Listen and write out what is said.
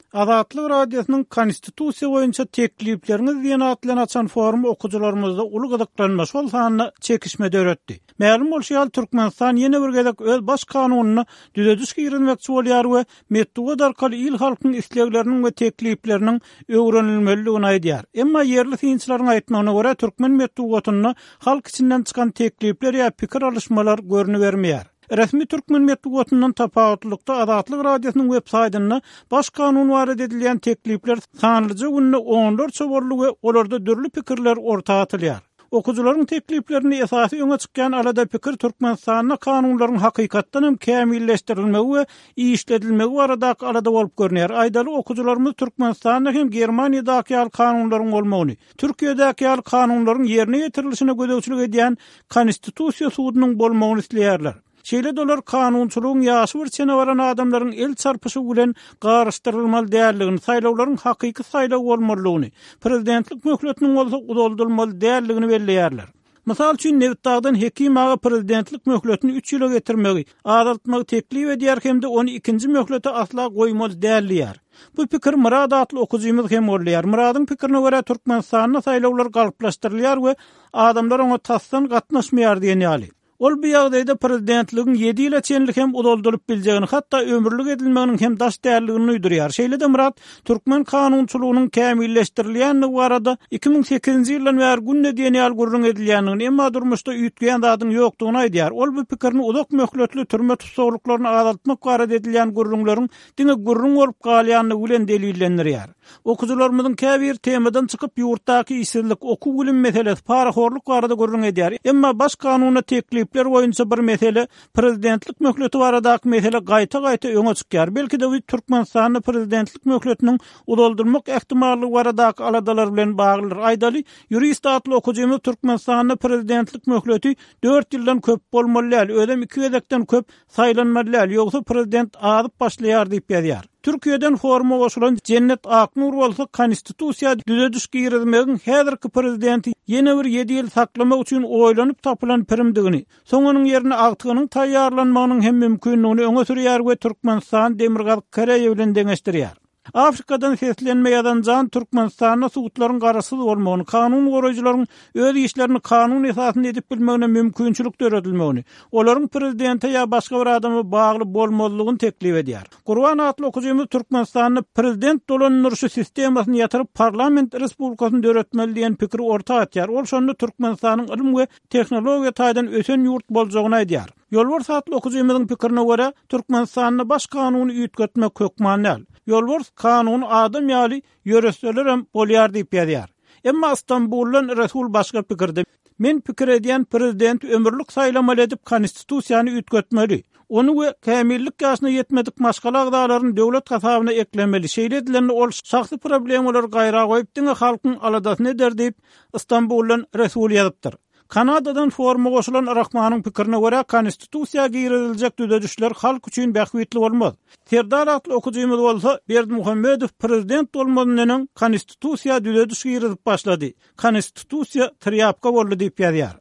Azatlyk Radiosynyň Konstitusiýa boýunça teklipleriňiz diýen at bilen açan forumy okyjylarymyzda uly gyzyklanma, şol sanda çekişme döretdi. Mälim bolşy ýaly, Türkmenistan ýene bir gezek öz Baş kanunyna düzediş girizmekçi bolýar we metbugat arkaly il-halkyň islegleriniň we teklipleriniň öwrenilmelidigini aýdýar. Emma ýerli synçylaryň aýtmagyna görä, türkmen metbugatynda halk içinden çykan teklipler ýa pikir alyşmalar görnübermeýär. Resmi türkmen metbugatyndan tapawutlylykda Azatlyk Radiosynyň web saýtynda Baş kanun barada edilýän teklipler sanlyja günde onlarça boldy we olarda dürli pikirler orta atylýar. Okyjylaryň tekliplerinde esasy öňe çykýan alada-pikir Türkmenistanda kanunlaryň hakykatdan hem kämilleşdirilmegi we işledilmegi baradaky alada bolup görünýär. Aýdaly, okyjylarymyz Türkmenistanda hem Germaniýadaky ýaly kanunlaryň bolmagyny, Türkiýedäki ýaly kanunlaryň ýerine ýetirilişine gözegçilik edýän Konstitusiýa sudunyň bolmagyny isleýärler. Şeýle-de olar kanunçylygyň ýaşy bir çene baran adamlaryň el çarpyşygy bilen garyşdyrylmaly däldigini, saýlawlaryň hakyky saýlaw bolmalydygyny, prezidentlik möhletiniň bolsa uzaldylmaly däldigini belleýärler. Mysal üçin, Nebitdagdan Hekim aga prezidentlik möhletini üç ýyla getirmegi, azaltmagy teklip edýär hem-de ony ikinji möhlete asla goýmaly däl diýýär. Bu pikir Myrat atly okyjymyz hem goldaýar. Myradyň pikirine görä, Türkmenistanda saýlawlar galplaşdyrylýar we adamlar oňa tasdan gatnaşmaýar diýen ýaly. Ol bu ýagdaýda prezidentligiň ýedi ýyla çenli hem uzaldylyp biljegini, hatda ömürlik edilmeginiň hem daş däldigini duýdurýar. Şeýle-de Myrat türkmen kanunçylygynyň kämilleşdirilýändigi barada 2008-nji ýyldan bäri günde diýen ýaly gürrüň edilýändigini, emma durmuşda üýtgeýän zadyň ýokdugyny aýdýar. Ol bu pikirini uzak möhletli türme tussaglyklaryny azaltmak barada edilýän gürrüňleriň diňe gürrüň bolup galýandygy bilen delillendirýär. Okyjylarymyzyň käbiri temadan çykyp, ýurtdaky işsizlik, okuw-bilim meselesi, parahorluk barada gürrüň edýär. Emma Baş kanuna teklipler boýunça bir mesele, prezidentlik möhleti baradaky mesele gaýta-gaýta öňe çykýar. Belki-de bu Türkmenistanda prezidentlik möhletiniň uzaldylmak ähtimallygy baradaky aladalar bilen baglydyr. Aýdaly, ýurist atly okyjymyz Türkmenistanda prezidentlik möhleti dört ýyldan köp bolmaly däl, özem iki gezekden köp Saýlanmaly däl, ýogsa prezident azyp başlaýar diýip ýazýar. Türkiýeden foruma goşulan Jennet Aknur bolsa konstitusiýa düzediş girizmegiň häzirki prezidenti ýene bir ýedi ýyl saklamak üçin oýlanyp tapylan pirimdigini, soň onuň ýerine agtygynyň taýýarlanmagynyň hem mümkindigini öňe sürýär we Türkmenistany Demirgazyk Koreýa bilen deňeşdirýär. Afrikadan seslenme ýazan Jan Türkmenistanda sudlaryň garaşsyz bolmagyny, kanun goraýjylaryň öz işlerini kanun esasynda edip bilmegine mümkinçilik döredilmegini, olaryň prezidente ýa başga bir adama bagly bolmazlygyny teklip edýär. Gurban atly okyjymyz Türkmenistanda prezident dolandyryşy sistemasyny ýatyryp parlament respublikasyny döretmeli diýen pikiri orta atýar. Ol şonda Türkmenistanyň ylym we tehnologiýa taýdan ösen ýurt boljagyny aýdýar. Ýolbars atly okyjymyzyň pikirine görä, Türkmenistanda Baş kanuny üýtgetmek hökman däl. Ýolbars kanuny adam ýaly ýöretselerem bolýar diýip ýazýar. Emma Stambuldan Resul başga pikirde. Men pikir edýän prezidenti ömürlik saýlamaly edip konstitusiýany üýtgetmeli. Ony we kämillik ýaşyna ýetmedik maşgala agzalaryny döwlet hasabyna eklemeli. Şeýle edilende ol şahsy problemalary gaýra goýup diňe halkyň aladasyny eder diýip, Stambuldan Resul ýazypdyr. Kanadadan foruma goşulan Rahmanyň pikirine görä, Konstitusiýa giriziljek düzedişler halk üçin bähbitli bolmaz. Serdar atly okyjymyz bolsa, Berdimuhamedow prezident bolmazyndan öň Konstitusiýa düzediş girizip başlady. Konstitusiýa trýapka boldy diýip ýazýar.